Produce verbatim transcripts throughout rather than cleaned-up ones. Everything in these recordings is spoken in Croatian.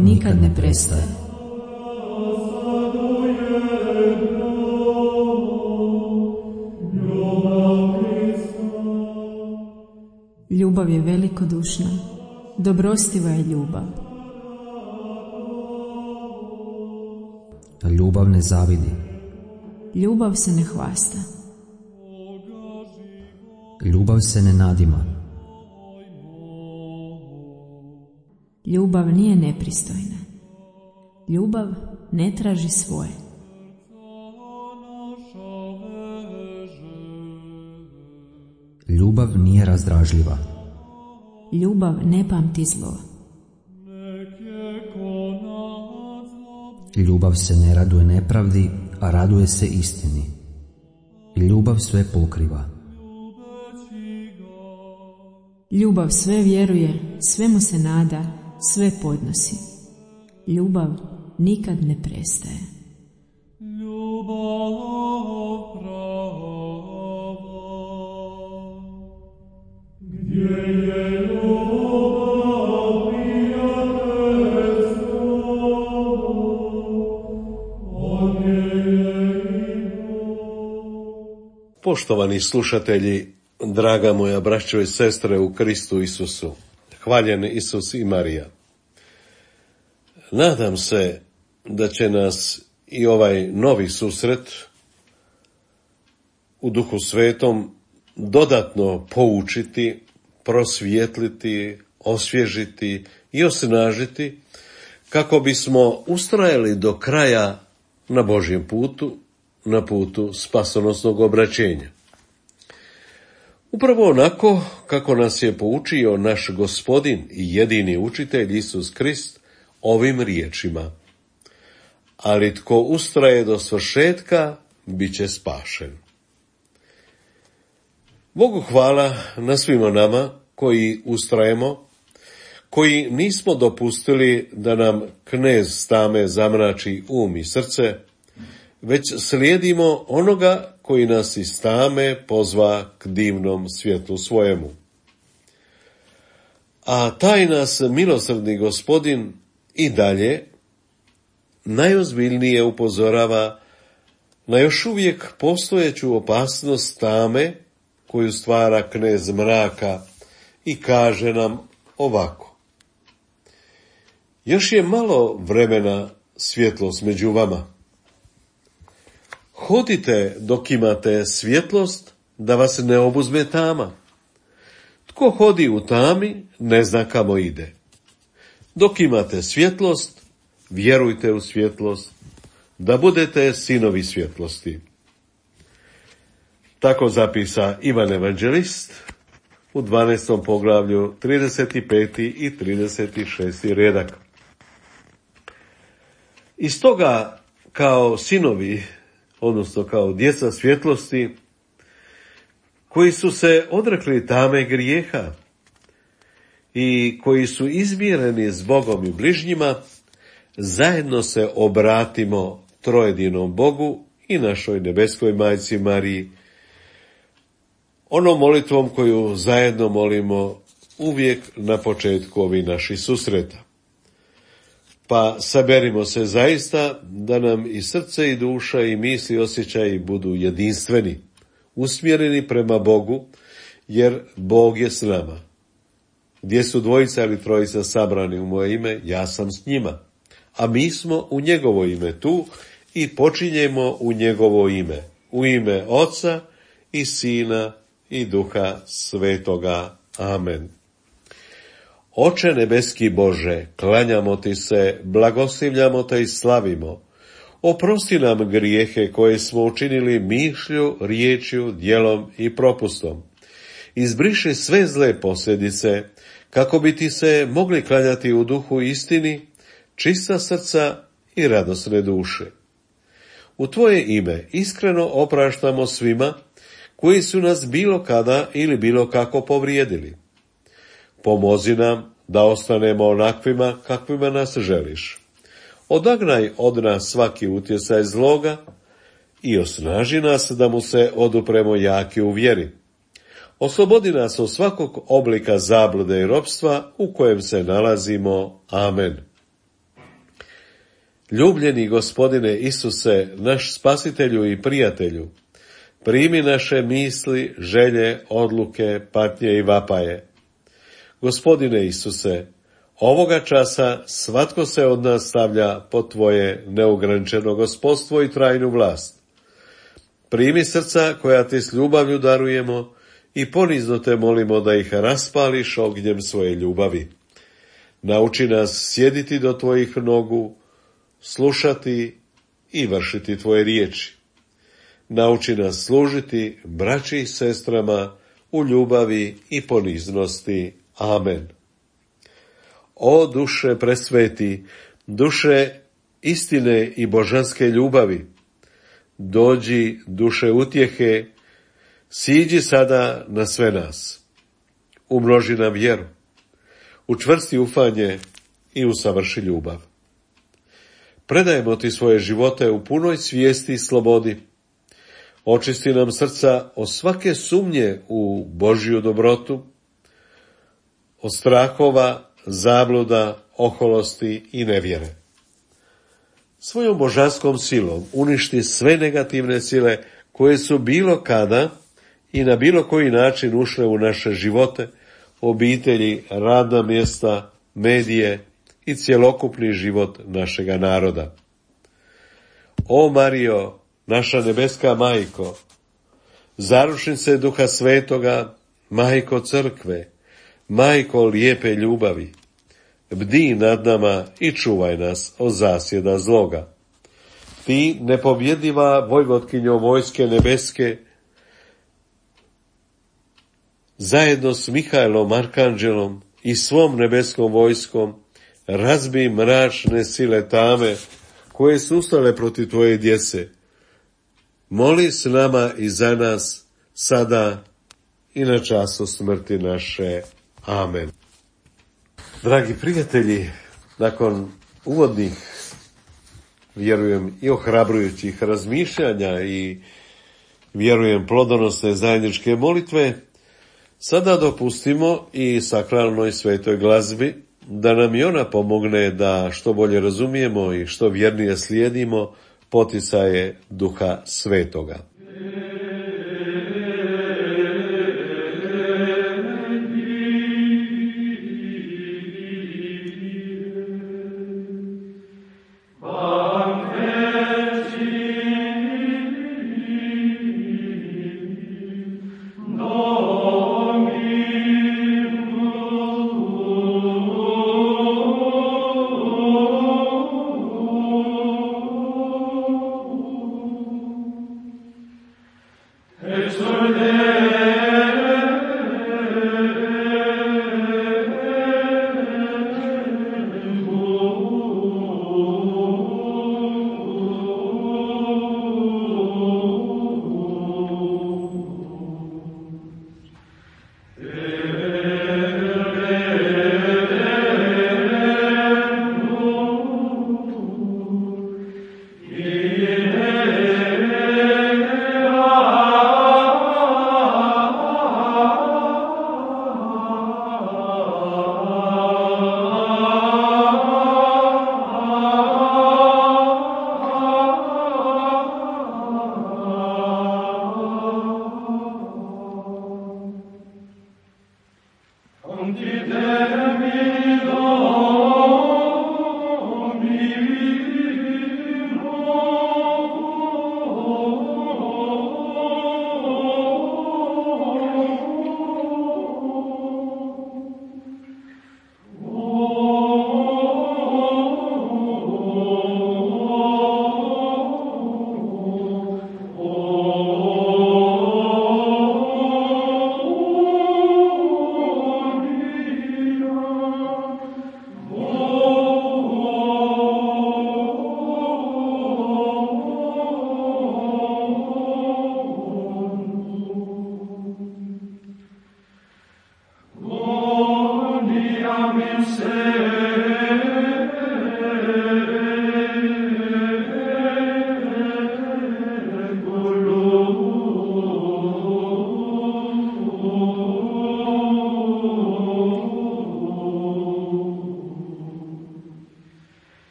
nikad ne prestaje. Ljubav je velikodušna, dobrostiva je ljubav. Ljubav ne zavidi. Ljubav se ne hvasta. Ljubav se ne nadima. Ljubav nije nepristojna. Ljubav ne traži svoje. Ljubav nije razdražljiva. Ljubav ne pamti zlo. Ljubav se ne raduje nepravdi, a raduje se istini. Ljubav sve pokriva. Ljubav sve vjeruje, svemu se nada, sve podnosi. Ljubav nikad ne prestaje. Ljubav prava, gdje je ljubav prijateljstvo, od nje je i Bog. Poštovani slušatelji, draga moja braćo i sestre u Kristu Isusu, hvaljen Isus i Marija. Nadam se da će nas i ovaj novi susret u Duhu Svetom dodatno poučiti, prosvijetliti, osvježiti i osnažiti kako bismo ustrajali do kraja na Božjem putu, na putu spasonosnog obraćenja. Upravo onako kako nas je poučio naš Gospodin i jedini učitelj Isus Krist ovim riječima: ali tko ustraje do svršetka, bit će spašen. Bogu hvala na svima nama koji ustrajemo, koji nismo dopustili da nam knez Stame zamrači um i srce, već slijedimo onoga koji nas iz tame pozva k divnom svjetlu svojemu. A taj nas milosrdni Gospodin i dalje najozbiljnije upozorava na još uvijek postojeću opasnost tame koju stvara knez mraka i kaže nam ovako: još je malo vremena svjetlost među vama. Hodite dok imate svjetlost, da vas ne obuzme tama. Tko hodi u tami, ne zna kamo ide. Dok imate svjetlost, vjerujte u svjetlost, da budete sinovi svjetlosti. Tako zapisa Ivan Evanđelist u dvanaestom poglavlju, trideset peti i trideset šesti redak. Iz toga, kao sinovi, odnosno kao djeca svjetlosti, koji su se odrekli tame grijeha i koji su izmireni s Bogom i bližnjima, zajedno se obratimo trojedinom Bogu i našoj nebeskoj majci Mariji, onom molitvom koju zajedno molimo uvijek na početku ovih naših susreta. Pa saberimo se zaista da nam i srce i duša i misli i osjećaji budu jedinstveni, usmjereni prema Bogu, jer Bog je s nama. Gdje su dvojica ili trojica sabrani u moje ime, ja sam s njima. A mi smo u njegovo ime tu i počinjemo u njegovo ime, u ime Oca i Sina i Duha Svetoga. Amen. Oče nebeski Bože, klanjamo ti se, blagoslivljamo te i slavimo. Oprosti nam grijehe koje smo učinili mišlju, riječju, djelom i propustom. Izbriši sve zle posljedice, kako bi ti se mogli klanjati u duhu istini, čista srca i radosne duše. U tvoje ime iskreno opraštamo svima koji su nas bilo kada ili bilo kako povrijedili. Pomozi nam da ostanemo onakvima kakvima nas želiš. Odagnaj od nas svaki utjecaj zloga i osnaži nas da mu se odupremo jaki u vjeri. Oslobodi nas od svakog oblika zablude i ropstva u kojem se nalazimo. Amen. Ljubljeni Gospodine Isuse, naš spasitelju i prijatelju, primi naše misli, želje, odluke, patnje i vapaje. Gospodine Isuse, ovoga časa svatko se od nas stavlja pod Tvoje neograničeno gospodstvo i trajnu vlast. Primi srca koja Ti s ljubavlju darujemo i ponizno Te molimo da ih raspališ ognjem svoje ljubavi. Nauči nas sjediti do Tvojih nogu, slušati i vršiti Tvoje riječi. Nauči nas služiti braći i sestrama u ljubavi i poniznosti. Amen. O duše presveti, duše istine i božanske ljubavi, dođi duše utjehe, siđi sada na sve nas. Umnoži nam vjeru, učvrsti ufanje i usavrši ljubav. Predajemo Ti svoje živote u punoj svijesti i slobodi. Očisti nam srca od svake sumnje u Božju dobrotu, od strahova, zabluda, oholosti i nevjere. Svojom božanskom silom uništi sve negativne sile koje su bilo kada i na bilo koji način ušle u naše živote, obitelji, radna mjesta, medije i cjelokupni život našega naroda. O Marijo, naša nebeska majko, zaručnice Duha Svetoga, majko crkve, majko lijepe ljubavi, bdi nad nama i čuvaj nas od zasjeda zloga. Ti, nepobjediva vojvotkinjo vojske nebeske, zajedno s Mihajlom Arkanđelom i svom nebeskom vojskom, razbi mračne sile tame koje su ustale protiv Tvoje djece. Moli s nama i za nas, sada i na času smrti naše. Amen. Dragi prijatelji, nakon uvodnih, vjerujem, i ohrabrujućih razmišljanja i vjerujem plodonosne zajedničke molitve, sada dopustimo i sakralnoj svetoj glazbi da nam i ona pomogne da što bolje razumijemo i što vjernije slijedimo poticaje Duha Svetoga.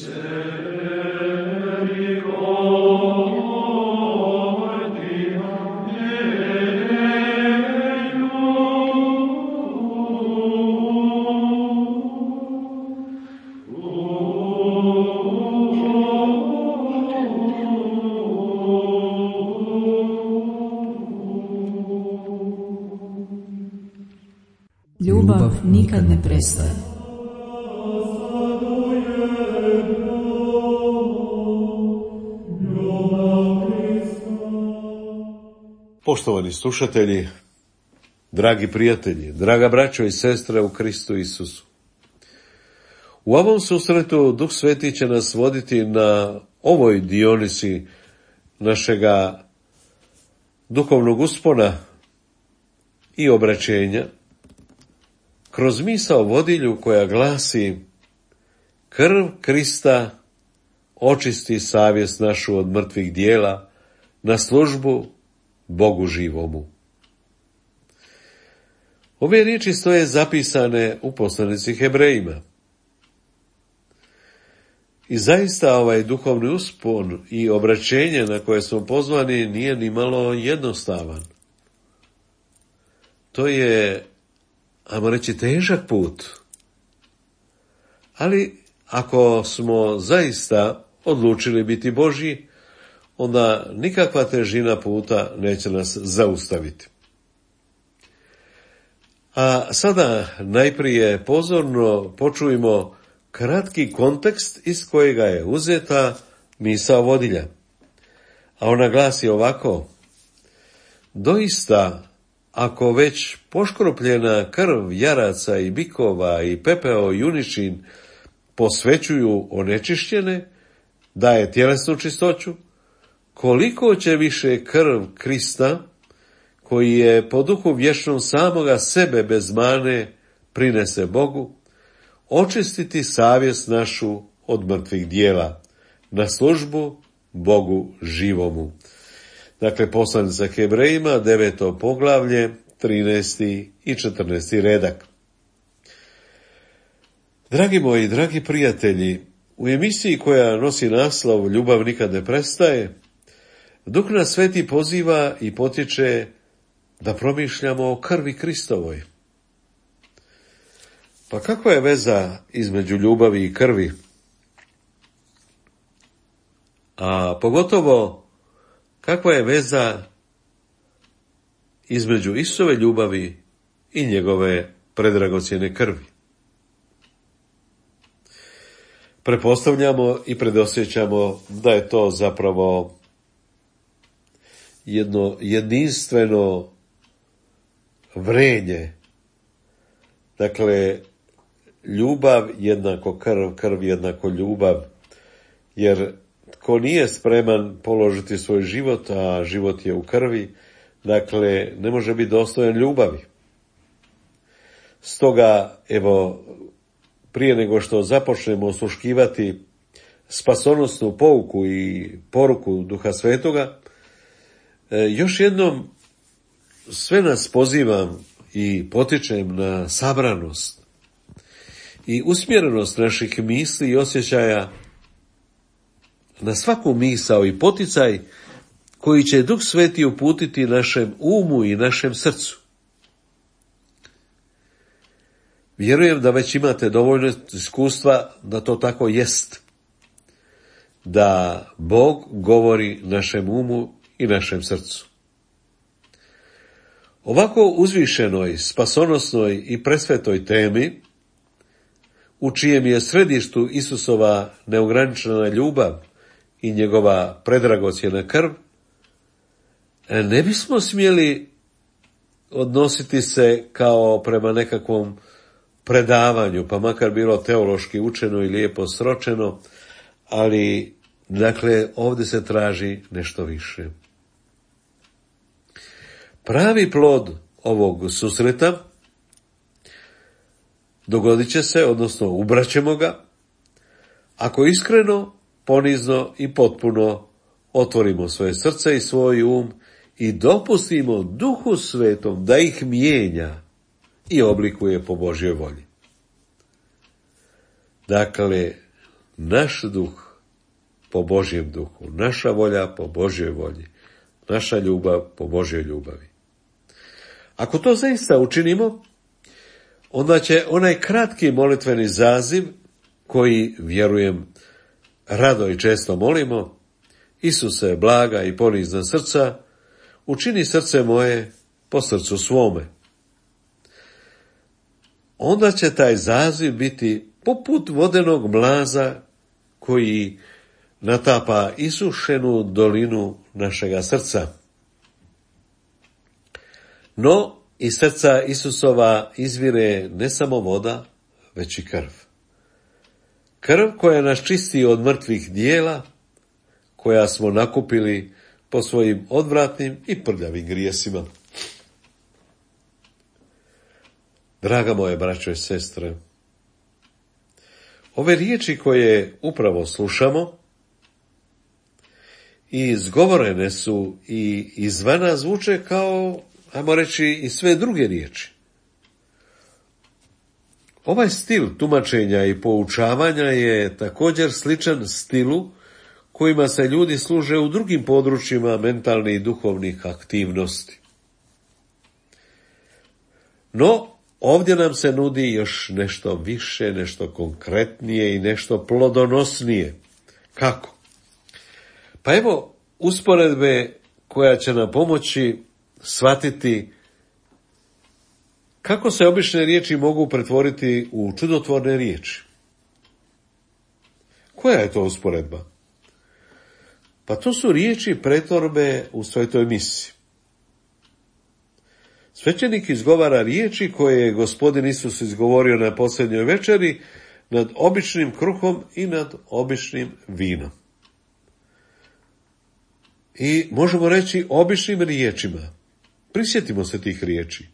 Ljubav nikad ne prestaje. Poštovani slušatelji, dragi prijatelji, draga braćo i sestre u Kristu Isusu. U ovom susretu Duh Sveti će nas voditi na ovoj dionisi našega duhovnog uspona i obraćenja kroz misao vodilju koja glasi: krv Krista očisti savjest našu od mrtvih dijela na službu Bogu živomu. Ove riječi stoje zapisane u poslanici Hebrejima. I zaista ovaj duhovni uspon i obraćenje na koje smo pozvani nije ni malo jednostavan. To je, ajmo reći, težak put. Ali ako smo zaista odlučili biti Božji, onda nikakva težina puta neće nas zaustaviti. A sada najprije pozorno počujmo kratki kontekst iz kojega je uzeta misao vodilja. A ona glasi ovako: doista, ako već poškropljena krv jaraca i bikova i pepeo juničin posvećuju onečišćene, daje tjelesnu čistoću, koliko će više krv Krista, koji je po duhu vječnom samoga sebe bez mane prinese Bogu, očistiti savjest našu od mrtvih dijela na službu Bogu živomu. Dakle, poslanica Hebrejima, deveto poglavlje, trinaesti i četrnaesti redak. Dragi moji, dragi prijatelji, u emisiji koja nosi naslov Ljubav nikad ne prestaje, Duh nas Sveti poziva i potiče da promišljamo o krvi Kristovoj. Pa kakva je veza između ljubavi i krvi? A pogotovo, kakva je veza između Isusove ljubavi i njegove predragocjene krvi? Pretpostavljamo i predosjećamo da je to zapravo jedno jedinstveno vrenje. Dakle, ljubav jednako krv, krv jednako ljubav, jer tko nije spreman položiti svoj život, a život je u krvi, dakle, ne može biti dostojan ljubavi. Stoga, evo, prije nego što započnemo osluškivati spasonosnu pouku i poruku Duha Svetoga, još jednom sve nas pozivam i potičem na sabranost i usmjerenost naših misli i osjećaja na svaku misao i poticaj koji će Duh Sveti uputiti našem umu i našem srcu. Vjerujem da već imate dovoljno iskustva da to tako jest, da Bog govori našem umu i našem srcu. Ovako uzvišenoj, spasonosnoj i presvetoj temi, u čijem je središtu Isusova neograničena ljubav i njegova predragocjena krv, ne bismo smjeli odnositi se kao prema nekakvom predavanju, pa makar bilo teološki učeno i lijepo sročeno, ali, dakle, ovdje se traži nešto više. Pravi plod ovog susreta dogodit će se, odnosno ubraćemo ga, ako iskreno, ponizno i potpuno otvorimo svoje srce i svoj um i dopustimo Duhu Svetom da ih mijenja i oblikuje po Božjoj volji. Dakle, naš duh po Božjem duhu, naša volja po Božjoj volji, naša ljubav po Božjoj ljubavi. Ako to zaista učinimo, onda će onaj kratki molitveni zaziv, koji, vjerujem, rado i često molimo, Isuse, blaga i ponizna srca, učini srce moje po srcu svome. Onda će taj zaziv biti poput vodenog mlaza koji natapa isušenu dolinu našega srca. No, iz srca Isusova izvire ne samo voda, već i krv. Krv koja nas čisti od mrtvih dijela, koja smo nakupili po svojim odvratnim i prljavim grijesima. Draga moje braćo i sestre, ove riječi koje upravo slušamo i izgovorene su i izvana zvuče kao, ajmo reći, i sve druge riječi. Ovaj stil tumačenja i poučavanja je također sličan stilu kojima se ljudi služe u drugim područjima mentalnih i duhovnih aktivnosti. No, ovdje nam se nudi još nešto više, nešto konkretnije i nešto plodonosnije. Kako? Pa evo usporedbe koja će nam pomoći shvatiti kako se obične riječi mogu pretvoriti u čudotvorne riječi. Koja je to usporedba? Pa to su riječi pretvorbe u svetoj misi. Svećenik izgovara riječi koje je Gospodin Isus izgovorio na posljednjoj večeri nad običnim kruhom i nad običnim vinom. I možemo reći običnim riječima. Prisjetimo se tih riječi.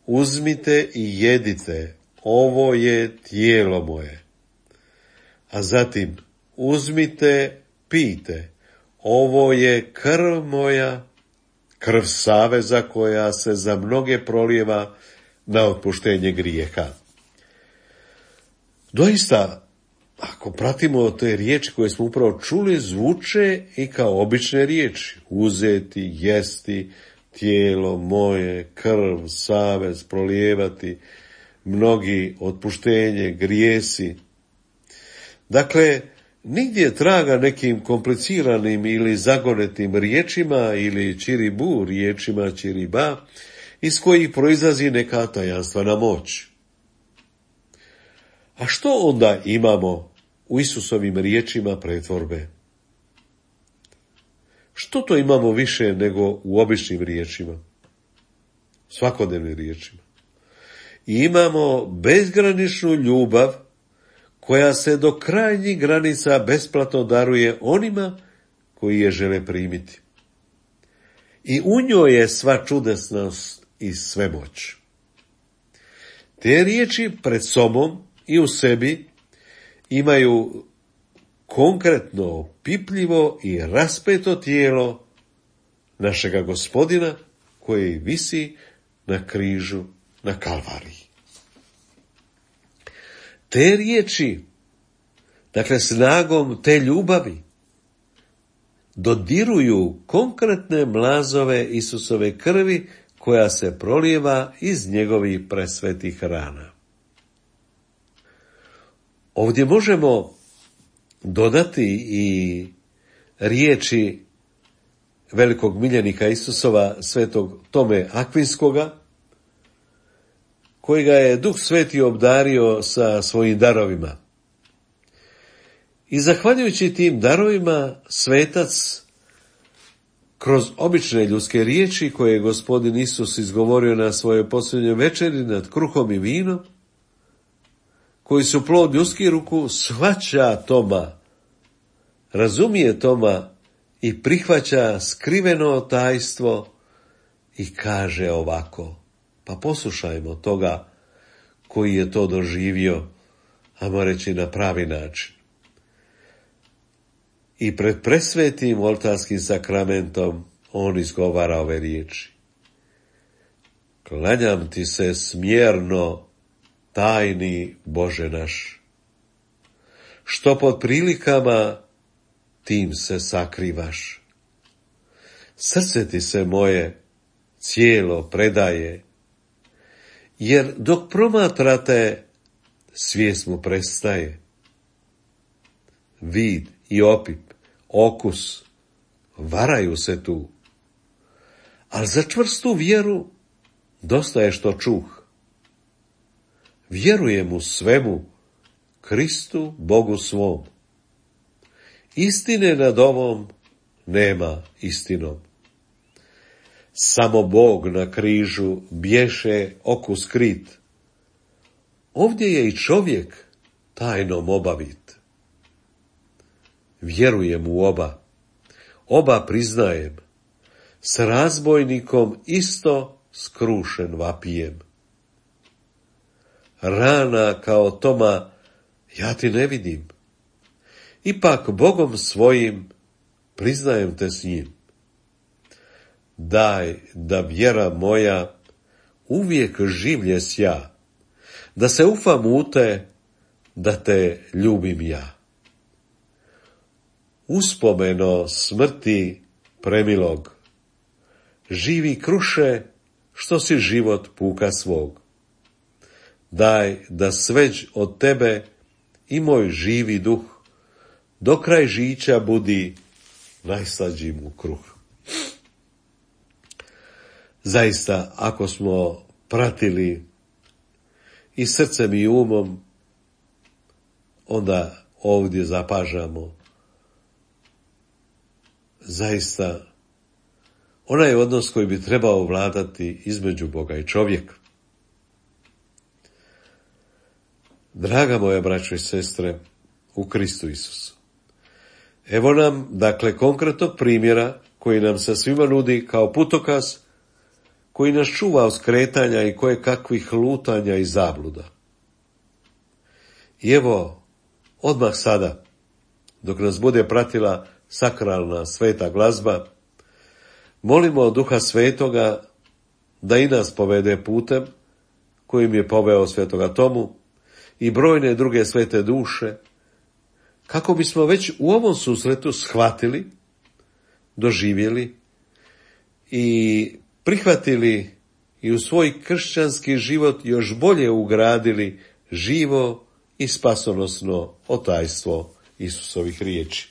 Uzmite i jedite, ovo je tijelo moje. A zatim, uzmite, pijte, ovo je krv moja, krv saveza koja se za mnoge prolijeva na otpuštenje grijeha. Doista, ako pratimo te riječi koje smo upravo čuli, zvuče i kao obične riječi. Uzeti, jesti, tijelo moje, krv, savez, prolijevati, mnogi, otpuštenje, grijesi. Dakle, nigdje traga nekim kompliciranim ili zagonetim riječima ili čiribu riječima čiriba, iz kojih proizlazi neka tajanstvena moć. A što onda imamo u Isusovim riječima pretvorbe? Što to imamo više nego u običnim riječima? Svakodnevnim riječima. I imamo bezgraničnu ljubav koja se do krajnjih granica besplatno daruje onima koji je žele primiti. I u njoj je sva čudesnost i svemoć. Te riječi pred sobom i u sebi imaju konkretno, pipljivo i raspeto tijelo našega Gospodina koji visi na križu na Kalvariji. Te riječi, dakle snagom te ljubavi, dodiruju konkretne mlazove Isusove krvi koja se prolijeva iz njegovih presvetih rana. Ovdje možemo dodati i riječi velikog miljenika Isusova, svetog Tome Akvinskoga, kojega je Duh Sveti obdario sa svojim darovima. I zahvaljujući tim darovima, svetac kroz obične ljudske riječi koje je Gospodin Isus izgovorio na svojoj posljednjoj večeri nad kruhom i vinom, koji su plod ljudskih ruku, shvaća Toma, razumije Toma i prihvaća skriveno tajstvo i kaže ovako. Pa poslušajmo toga koji je to doživio, ajmo reći na pravi način. I pred presvetim oltarskim sakramentom on izgovara ove riječi. Klanjam ti se smjerno, tajni Bože naš, što pod prilikama tim se sakrivaš. Srce ti se moje cijelo predaje, jer dok promatrate, svijest mu prestaje. Vid i opip, okus, varaju se tu, ali za čvrstu vjeru dosta je što čuh. Vjerujem u svemu, Kristu, Bogu svom. Istine nad ovom nema istinom. Samo Bog na križu bješe oku skrit. Ovdje je i čovjek tajnom obavit. Vjerujem u oba, oba priznajem, s razbojnikom isto skrušen vapijem. Rana kao Toma ja ti ne vidim, ipak Bogom svojim priznajem te s njim. Daj da vjera moja uvijek življe sja, da se ufam u te, da te ljubim ja. Uspomeno smrti premilog, živi kruše što si život puka svog. Daj da sveđ od tebe i moj živi duh do kraj žića budi najslađi mu kruh. Zaista, ako smo pratili i srcem i umom, onda ovdje zapažamo zaista onaj odnos koji bi trebao vladati između Boga i čovjeka. Draga moja braćo i sestre u Kristu Isusu, evo nam, dakle, konkretnog primjera koji nam se svima nudi kao putokaz koji nas čuva od skretanja i koje kakvih lutanja i zabluda. I evo, odmah sada, dok nas bude pratila sakralna sveta glazba, molimo od Duha Svetoga da i nas povede putem kojim je poveo svetoga Tomu i brojne druge svete duše, kako bismo već u ovom susretu shvatili, doživjeli i prihvatili i u svoj kršćanski život još bolje ugradili živo i spasonosno otajstvo Isusovih riječi.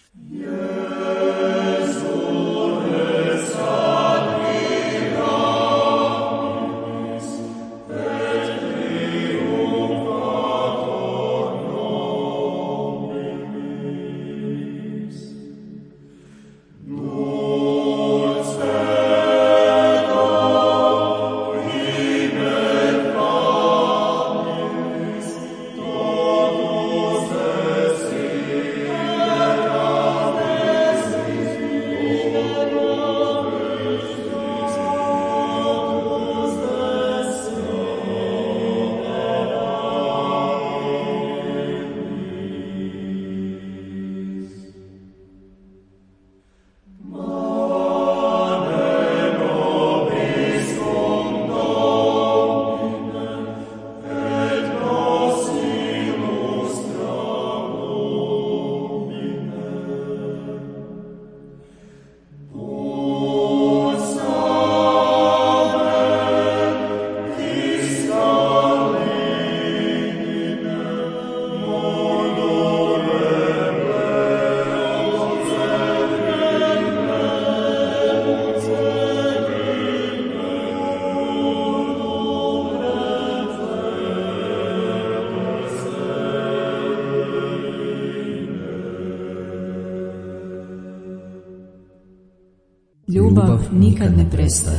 Ljubav nikad ne prestaje.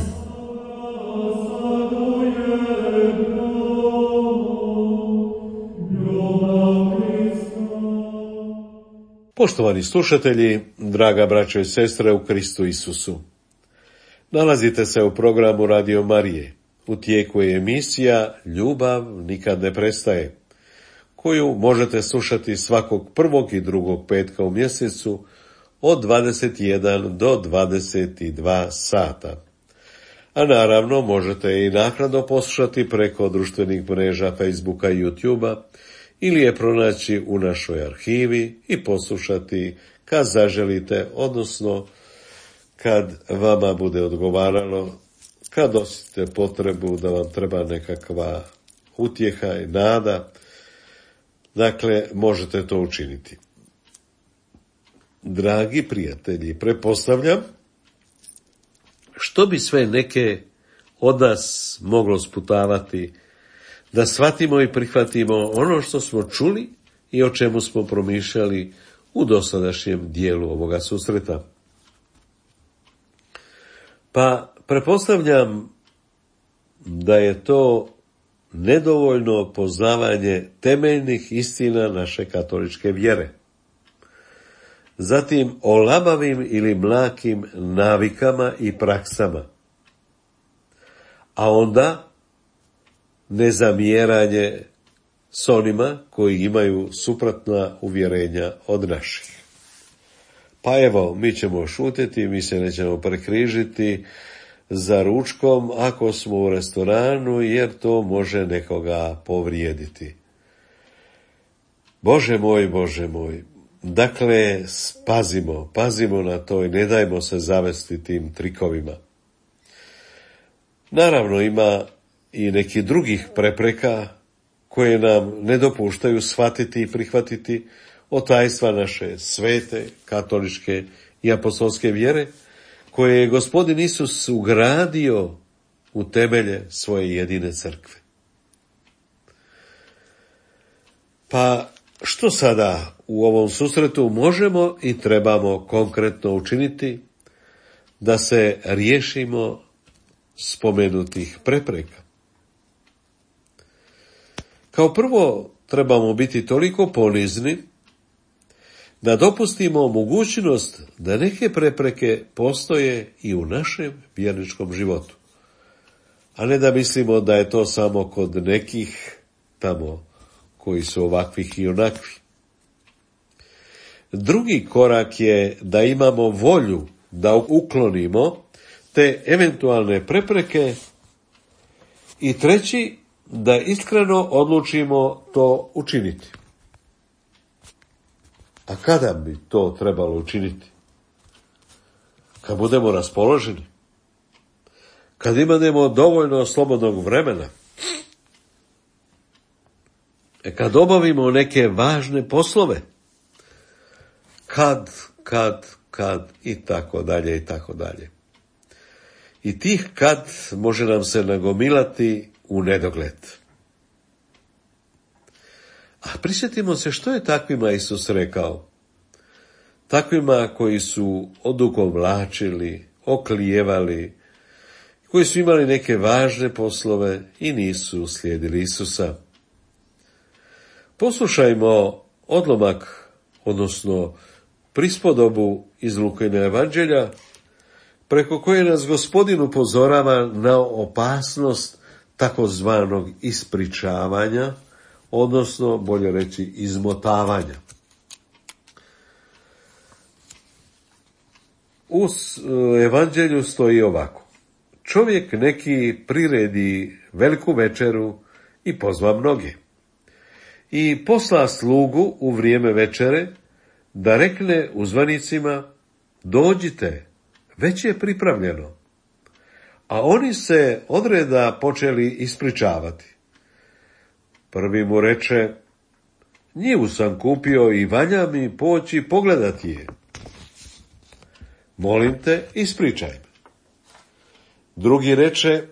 Poštovani slušatelji, draga braćo i sestre u Kristu Isusu, nalazite se u programu Radio Marije. U tijeku je emisija Ljubav nikad ne prestaje, koju možete slušati svakog prvog i drugog petka u mjesecu od dvadeset jedan do dvadeset dva sata. A naravno možete i naknadno poslušati preko društvenih mreža Facebooka i YouTubea ili je pronaći u našoj arhivi i poslušati kad zaželite, odnosno kad vama bude odgovaralo, kad osjetite potrebu da vam treba nekakva utjeha i nada, dakle, možete to učiniti. Dragi prijatelji, pretpostavljam što bi sve neke od nas moglo sputavati da shvatimo i prihvatimo ono što smo čuli i o čemu smo promišljali u dosadašnjem dijelu ovoga susreta. Pa pretpostavljam da je to nedovoljno poznavanje temeljnih istina naše katoličke vjere. Zatim o labavim ili mlakim navikama i praksama. A onda nezamjeranje s onima koji imaju suprotna uvjerenja od naših. Pa evo, mi ćemo šutiti, mi se nećemo prekrižiti za ručkom ako smo u restoranu, jer to može nekoga povrijediti. Bože moj, Bože moj, dakle, pazimo, pazimo na to i ne dajmo se zavesti tim trikovima. Naravno, ima i nekih drugih prepreka koje nam ne dopuštaju shvatiti i prihvatiti od tajstva naše svete, katoličke i apostolske vjere, koje je Gospodin Isus ugradio u temelje svoje jedine crkve. Pa što sada u ovom susretu možemo i trebamo konkretno učiniti da se riješimo spomenutih prepreka? Kao prvo, trebamo biti toliko ponizni da dopustimo mogućnost da neke prepreke postoje i u našem vjerničkom životu, a ne da mislimo da je to samo kod nekih tamo koji su ovakvih i onakvi. Drugi korak je da imamo volju da uklonimo te eventualne prepreke i treći, da iskreno odlučimo to učiniti. A kada bi to trebalo učiniti? Kad budemo raspoloženi? Kad imamo dovoljno slobodnog vremena? E kad obavimo neke važne poslove? Kad, kad, kad i tako dalje i tako dalje. I tih kad može nam se nagomilati u nedogled. A prisjetimo se što je takvima Isus rekao. Takvima koji su odugovlačili, oklijevali, koji su imali neke važne poslove i nisu slijedili Isusa. Poslušajmo odlomak, odnosno prispodobu iz Lukina evanđelja, preko koje nas Gospodin upozorava na opasnost takozvanog ispričavanja, odnosno, bolje reći, izmotavanja. U evanđelju stoji ovako. Čovjek neki priredi veliku večeru i pozva mnoge. I posla slugu u vrijeme večere da rekne uzvanicima, dođite, već je pripravljeno. A oni se odreda počeli ispričavati. Prvi mu reče, njivu sam kupio i valja mi poći pogledati je. Molim te, ispričaj me. Drugi reče,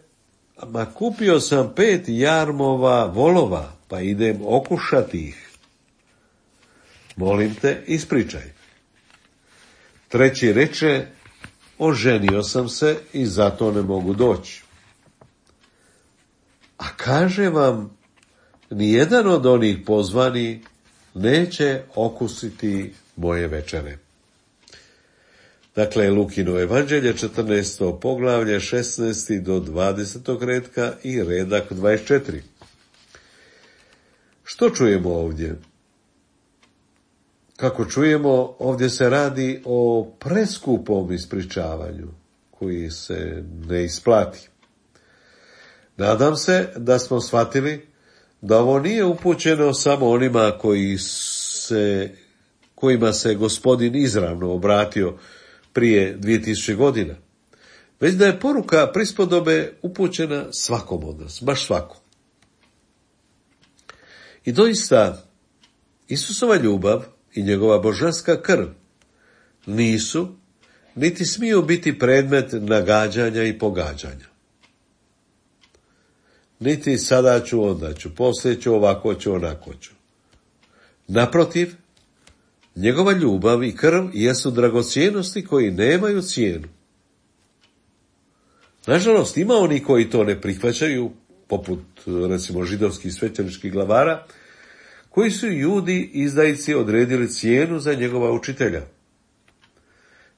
ma kupio sam pet jarmova volova, pa idem okušati ih. Molim te, ispričaj me. Treći reče, oženio sam se i zato ne mogu doći. A kaže vam, nijedan od onih pozvani neće okusiti moje večere. Dakle, Lukino evanđelje, četrnaesto poglavlje, šesnaesti do dvadesetog redka i redak dvadeset četiri. Što čujemo ovdje? Kako čujemo, ovdje se radi o preskupom ispričavanju, koji se ne isplati. Nadam se da smo shvatili da ovo nije upućeno samo onima koji se, kojima se Gospodin izravno obratio prije dvije tisuće godina, već da je poruka prispodobe upućena svakom od nas, baš svakom. I doista, Isusova ljubav i njegova božanska krv nisu, niti smiju biti predmet nagađanja i pogađanja. Niti sada ću, onda ću, poslije ću, ovako ću, onako ću. Naprotiv, njegova ljubav i krv jesu dragocjenosti koji nemaju cijenu. Nažalost, ima oni koji to ne prihvaćaju, poput, recimo, židovskih svećeničkih glavara, koji su Judi izdajici odredili cijenu za njegova učitelja.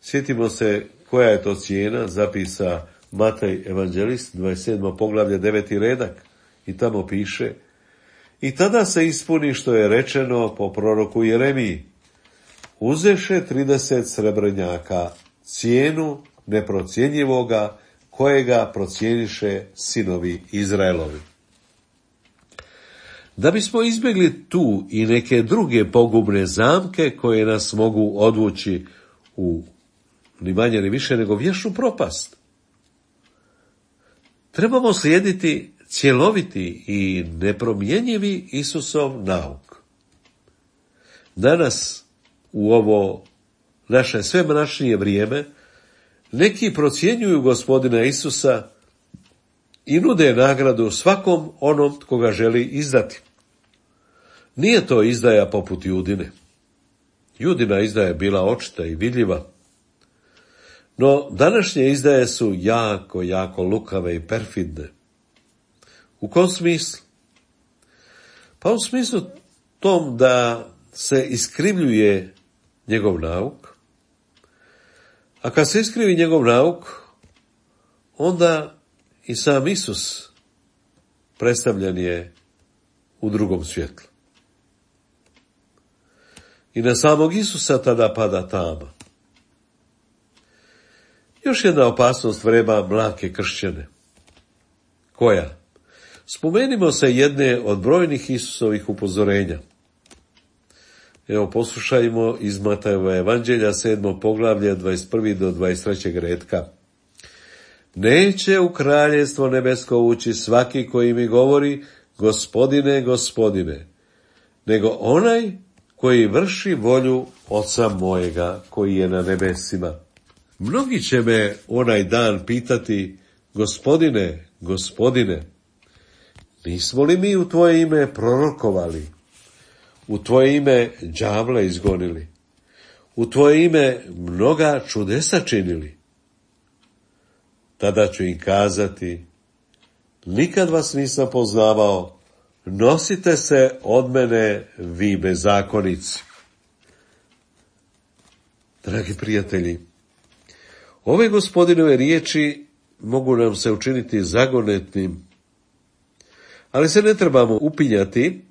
Sjetimo se koja je to cijena, zapisa Matej evanđelist, dvadeset sedmo poglavlje, deveti redak, i tamo piše: i tada se ispuni što je rečeno po proroku Jeremiji: uzeše trideset srebrnjaka, cijenu neprocjenjivoga, kojega procijeniše sinovi Izraelovi. Da bismo izbjegli tu i neke druge pogubne zamke koje nas mogu odvući u ni manje ni više nego vječnu propast, trebamo slijediti cjeloviti i nepromjenjivi Isusov nauk. Danas, u ovo naše sve mračnije vrijeme, neki procjenjuju Gospodina Isusa i nude nagradu svakom onom tko ga želi izdati. Nije to izdaja poput Judine. Judina izdaja je bila očita i vidljiva. No, današnje izdaje su jako, jako lukave i perfidne. U kom smislu? Pa u smislu tom da se iskrivljuje njegov nauk, a kad se iskrivi njegov nauk, onda i sam Isus predstavljen je u drugom svjetlu. I na samog Isusa tada pada tama. Još jedna opasnost vreba mlake kršćane. Koja? Spomenimo se jedne od brojnih Isusovih upozorenja. Evo, poslušajmo iz Matajeva evanđelja, sedmo poglavlje, dvadeset prvi do dvadeset trećeg retka. Neće u kraljevstvo nebesko ući svaki koji mi govori: Gospodine, Gospodine, nego onaj koji vrši volju Oca mojega koji je na nebesima. Mnogi će me onaj dan pitati: Gospodine, Gospodine, nismo li mi u tvoje ime prorokovali, u tvoje ime đavle izgonili, u tvoje ime mnoga čudesa činili? Tada ću im kazati: nikad vas nisam poznavao, nosite se od mene, vi bezakonici. Dragi prijatelji, ove Gospodinove riječi mogu nam se učiniti zagonetnim, ali se ne trebamo upinjati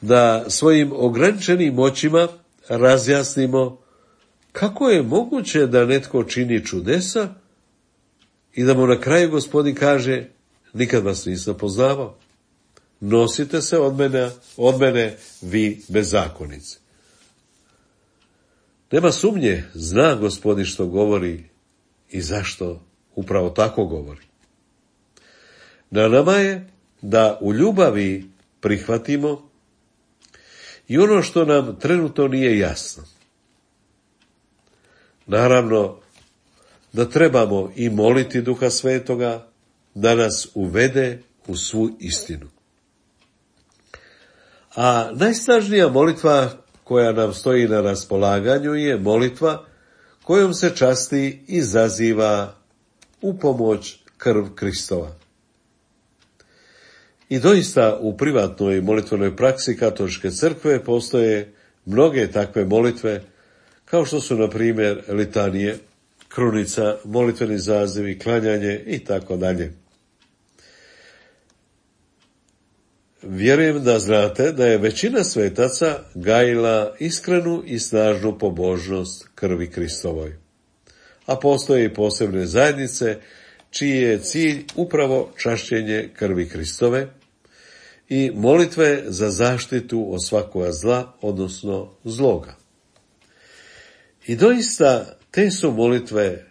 da svojim ograničenim moćima razjasnimo kako je moguće da netko čini čudesa i da mu na kraju Gospodin kaže: nikad vas nisam poznavao, nosite se od mene, od mene vi bezakonici. Nema sumnje, zna Gospodin što govori i zašto upravo tako govori. Na nama je da u ljubavi prihvatimo i ono što nam trenutno nije jasno. Naravno da trebamo i moliti Duha Svetoga da nas uvede u svu istinu. A najsnažnija molitva koja nam stoji na raspolaganju je molitva kojom se časti i zaziva u pomoć krv Kristova. I doista u privatnoj molitvenoj praksi katoličke crkve postoje mnoge takve molitve, kao što su, na primjer, litanije, krunica, molitveni zazivi, klanjanje i tako dalje. Vjerujem da znate da je većina svetaca gajila iskrenu i snažnu pobožnost krvi Kristovoj. A postoje i posebne zajednice čiji je cilj upravo čašćenje krvi Kristove i molitve za zaštitu od svakoga zla, odnosno zloga. I doista te su molitve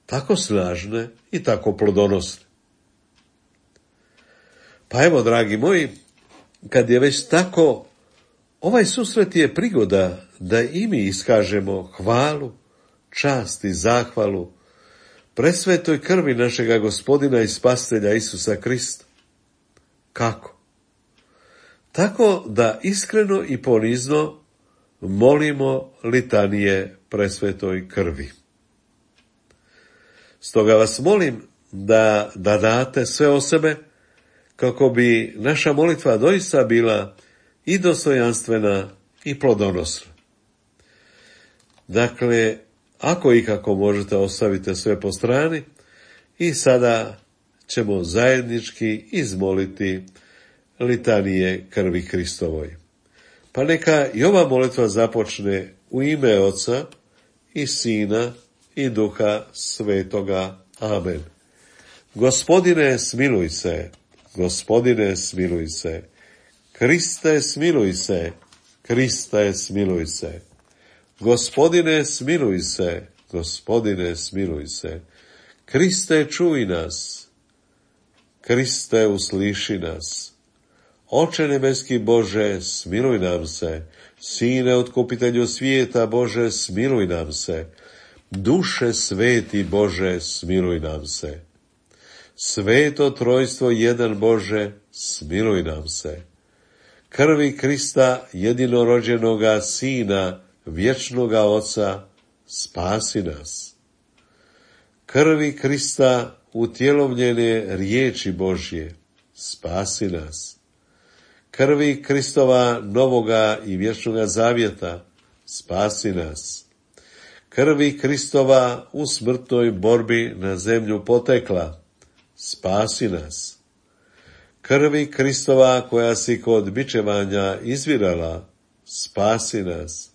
tako snažne i tako plodonosne. Pa evo, dragi moji, kad je već tako, ovaj susret je prigoda da i mi iskažemo hvalu, čast i zahvalu presvetoj krvi našega Gospodina i Spasitelja Isusa Krista. Kako? Tako da iskreno i ponizno molimo litanije presvetoj krvi. Stoga vas molim da, da date sve o sebe, kako bi naša molitva doista bila i dostojanstvena i plodonosna. Dakle, ako i kako možete, ostavite sve po strani i sada ćemo zajednički izmoliti litanije krvi Hristovoj. Pa neka i ova molitva započne u ime Oca i Sina i Duha Svetoga. Amen. Gospodine, smiluj se. Gospodine, smiluj se. Kriste, smiluj se. Kriste, smiluj se. Gospodine, smiluj se. Gospodine, smiluj se. Kriste, čuj nas. Kriste, usliši nas. Oče nebeski Bože, smiluj nam se. Sine, otkupitelju svijeta Bože, smiluj nam se. Duše sveti Bože, smiluj nam se. Sveto trojstvo jedan Bože, smiluj nam se. Krvi Krista, jedinorođenoga Sina, vječnoga Oca, spasi nas. Krvi Krista, utjelovljene riječi Božje, spasi nas. Krvi Kristova novoga i vječnoga zavjeta, spasi nas. Krvi Kristova u smrtnoj borbi na zemlju potekla, spasi nas. Krvi Kristova koja si kod bičevanja izvirala, spasi nas.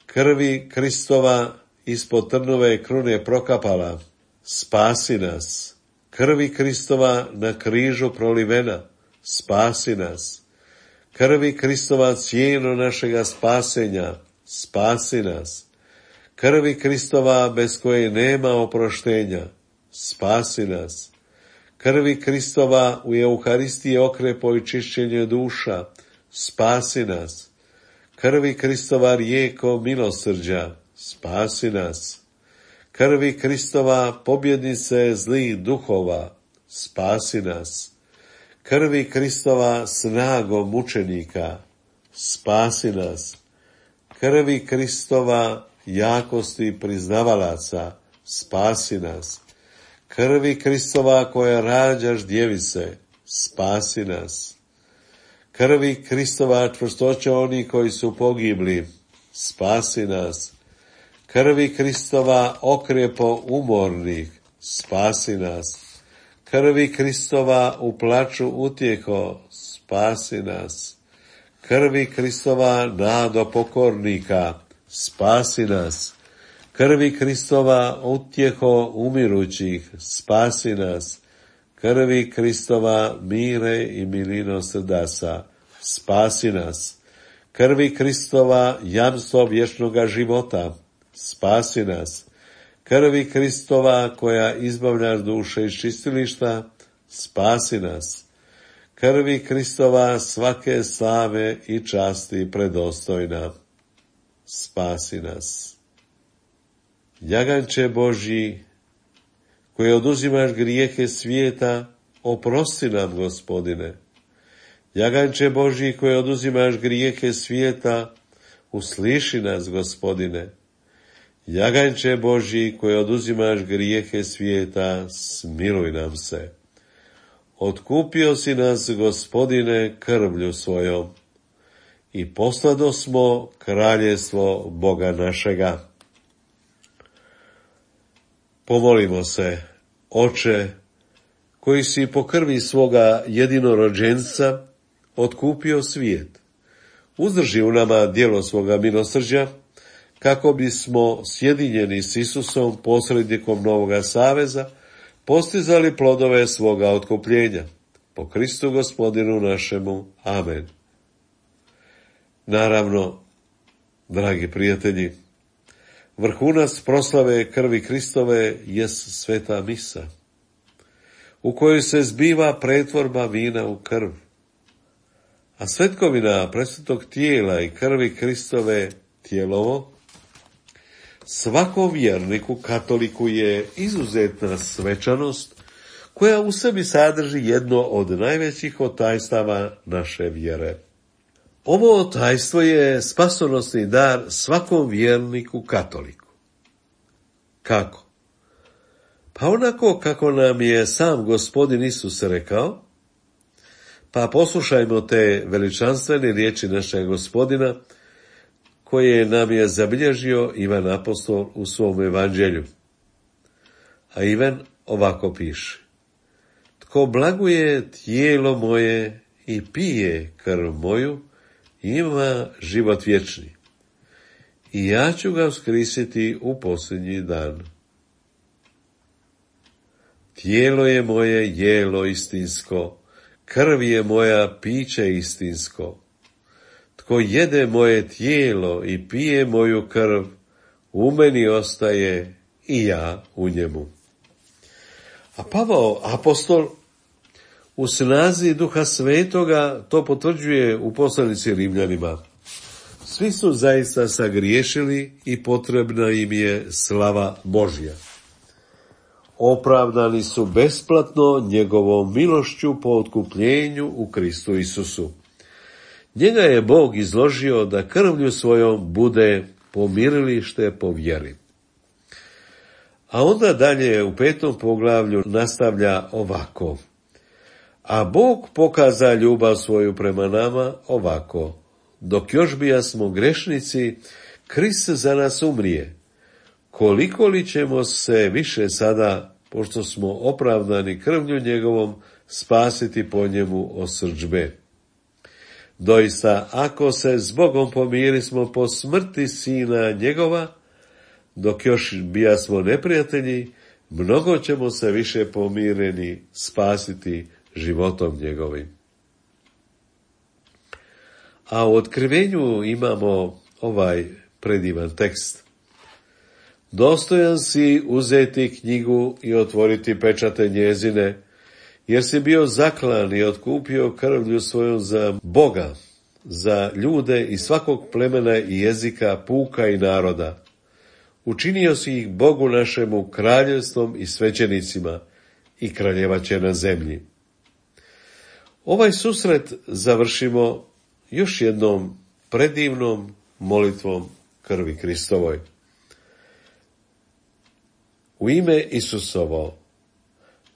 Krvi Kristova ispod trnove krune prokapala, spasi nas. Krvi Kristova na križu prolivena, spasi nas. Krvi Kristova cijenu našega spasenja, spasi nas. Krvi Kristova bez koje nema oproštenja, spasi nas. Krvi Kristova u Euharistiji okrepo i čišćenje duša, spasi nas. Krvi Kristova rijeko milosrđa, spasi nas. Krvi Kristova pobjednice zlih duhova, spasi nas. Krvi Kristova snagom mučenika, spasi nas. Krvi Kristova jakosti priznavalaca, spasi nas. Krvi Kristova koja rađaš djevice, spasi nas. Krvi Kristova čvrstoća oni koji su pogibli, spasi nas. Krvi Kristova okrepo umornih, spasi nas. Krvi Kristova u plaču utjeho, spasi nas. Krvi Kristova nado pokornika, spasi nas. Krvi Kristova utjeho umirućih, spasi nas. Krvi Kristova mire i milino srdasa, spasi nas. Krvi Kristova jamstvo vječnoga života, spasi nas. Krvi Kristova koja izbavljaš duše iz čistilišta, spasi nas. Krvi Kristova svake slave i časti predostojna, spasi nas. Jaganče Božji, koji oduzimaš grijehe svijeta, oprosti nam, Gospodine. Jaganče Božji, koji oduzimaš grijehe svijeta, usliši nas, Gospodine. Jaganče Božji, koji oduzimaš grijehe svijeta, smiluj nam se. Otkupio si nas, Gospodine, krvlju svojom i poslado smo kraljevstvo Boga našega. Pomolimo se, Oče, koji si po krvi svoga jedinorođenca otkupio svijet. Uzdrži u nama djelo svoga milosrđa, kako bismo sjedinjeni s Isusom, posrednikom novoga saveza, postizali plodove svoga otkupljenja. po Kristu Gospodinu našemu. Amen. Naravno, dragi prijatelji, vrhunac proslave krvi Kristove jest sveta misa, u kojoj se zbiva pretvorba vina u krv. A svetkovina presvetog tijela i krvi Kristove tijelovo svakom vjerniku katoliku je izuzetna svečanost koja u sebi sadrži jedno od najvećih otajstava naše vjere. Ovo otajstvo je spasonosni dar svakom vjerniku katoliku. Kako? Pa onako kako nam je sam Gospodin Isus rekao, pa poslušajmo te veličanstvene riječi našeg Gospodina, koje nam je zabilježio Ivan apostol u svom evanđelju. A Ivan ovako piše: tko blaguje tijelo moje i pije krv moju, ima život vječni, i ja ću ga uskrisiti u posljednji dan. Tijelo je moje jelo istinsko, krv je moja piće istinsko. Tko jede moje tijelo i pije moju krv, u meni ostaje i ja u njemu. A Pavao apostol u snazi Duha Svetoga to potvrđuje u poslanici Rimljanima. Svi su zaista sagriješili i potrebna im je slava Božja. Opravdani su besplatno njegovom milošću po otkupljenju u Kristu Isusu. Njega je Bog izložio da krvlju svojom bude pomirilište po vjeri. A onda dalje u petom poglavlju nastavlja ovako: a Bog pokaza ljubav svoju prema nama ovako: dok još bijasmo grešnici, Krist za nas umrije. Koliko li ćemo se više sada, pošto smo opravdani krvlju njegovom, spasiti po njemu od srdžbe? Doista, ako se s Bogom pomirismo po smrti sina njegova, dok još bijasmo neprijatelji, mnogo ćemo se više pomireni spasiti životom njegovim. A u otkrivenju imamo ovaj predivan tekst: dostojan si uzeti knjigu i otvoriti pečate njezine, jer si bio zaklan i otkupio krvlju svojom za Boga, za ljude iz svakog plemena i jezika, puka i naroda. Učinio si ih Bogu našemu kraljevstvom i svećenicima, i kraljevaće na zemlji. Ovaj susret završimo još jednom predivnom molitvom krvi Kristovoj. U ime Isusovo,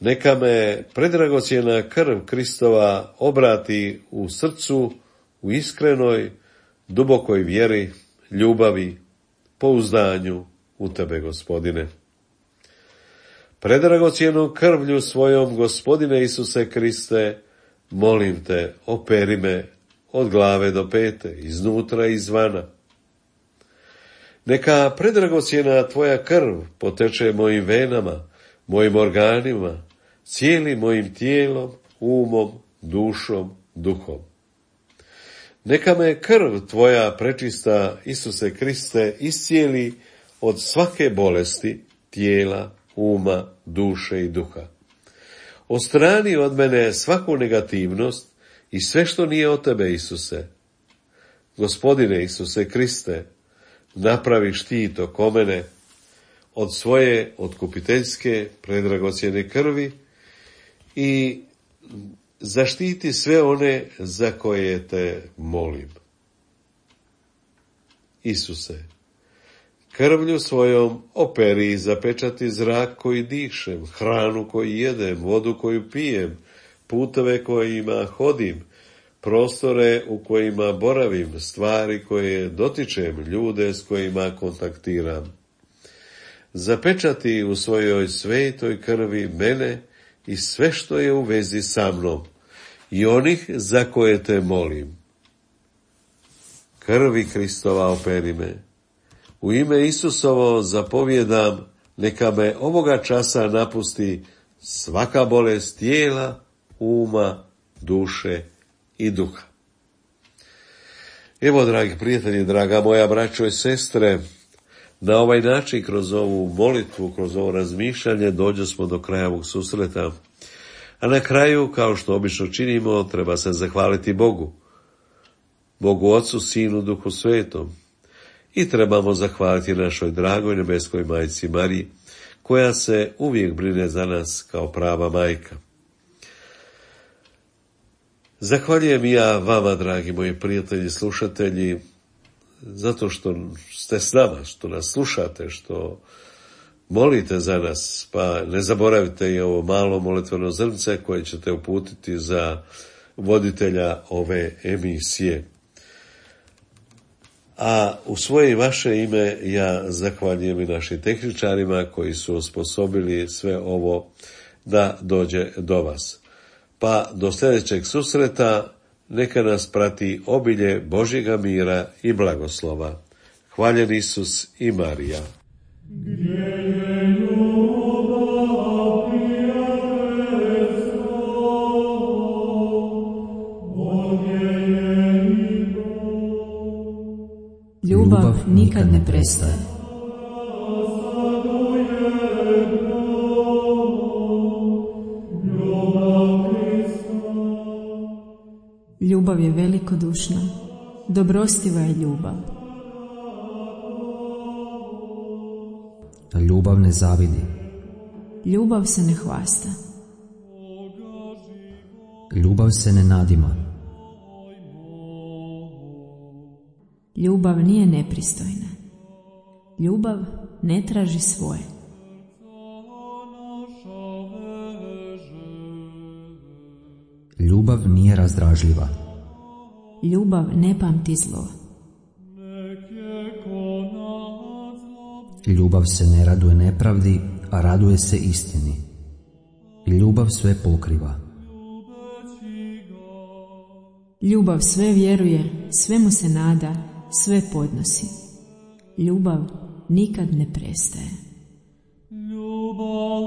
neka me predragocjena krv Kristova obrati u srcu, u iskrenoj, dubokoj vjeri, ljubavi, pouzdanju u tebe, Gospodine. Predragocjenom krvlju svojom, Gospodine Isuse Kriste, molim te, operi me od glave do pete, iznutra i izvana. Neka predragocjena tvoja krv poteče mojim venama, mojim organima, cijelim mojim tijelom, umom, dušom, duhom. Neka me krv tvoja prečista, Isuse Kriste, iscijeli od svake bolesti tijela, uma, duše i duha. Odstrani od mene svaku negativnost i sve što nije od tebe, Isuse. Gospodine Isuse Kriste, napravi štit oko mene od svoje otkupiteljske predragocjene krvi i zaštiti sve one za koje te molim. Isuse, krvlju svojom operi i zapečati zrak koji dišem, hranu koju jedem, vodu koju pijem, puteve kojima hodim, prostore u kojima boravim, stvari koje dotičem, ljude s kojima kontaktiram. Zapečati u svojoj svetoj krvi mene i sve što je u vezi sa mnom i onih za koje te molim. Krvi Kristova operi me. U ime Isusovo zapovjedam, neka me ovoga časa napusti svaka bolest tijela, uma duše i duha. Evo, dragi prijatelji, draga moja braćo i sestre, na ovaj način, kroz ovu molitvu, kroz ovo razmišljanje, dođe smo do kraja ovog susreta. A na kraju, kao što obično činimo, treba se zahvaliti Bogu. Bogu Otcu, Sinu, Duhu Svetom. I trebamo zahvaliti našoj dragoj nebeskoj majci Mariji, koja se uvijek brine za nas kao prava majka. Zahvaljujem ja vama, dragi moji prijatelji, slušatelji, zato što ste s nama, što nas slušate, što molite za nas, pa ne zaboravite i ovo malo molitveno zrnce koje ćete uputiti za voditelja ove emisije. A u svoje i vaše ime ja zahvaljujem i našim tehničarima koji su osposobili sve ovo da dođe do vas. Pa do sljedećeg susreta neka nas prati obilje Božjega mira i blagoslova. Hvaljen Isus i Marija. Gdje je ljubav prijateljstva, ovdje je i Ljubav nikad ne prestaje. Ljubav je velikodušna, dobrostiva je ljubav. Ljubav ne zavidi. Ljubav se ne hvasta. Ljubav se ne nadima. Ljubav nije nepristojna. Ljubav ne traži svoje. Ljubav nije razdražljiva. Ljubav ne pamti zlo. Ljubav se ne raduje nepravdi, a raduje se istini. Ljubav sve pokriva. Ljubav sve vjeruje, svemu se nada, sve podnosi. Ljubav nikad ne prestaje. ljubav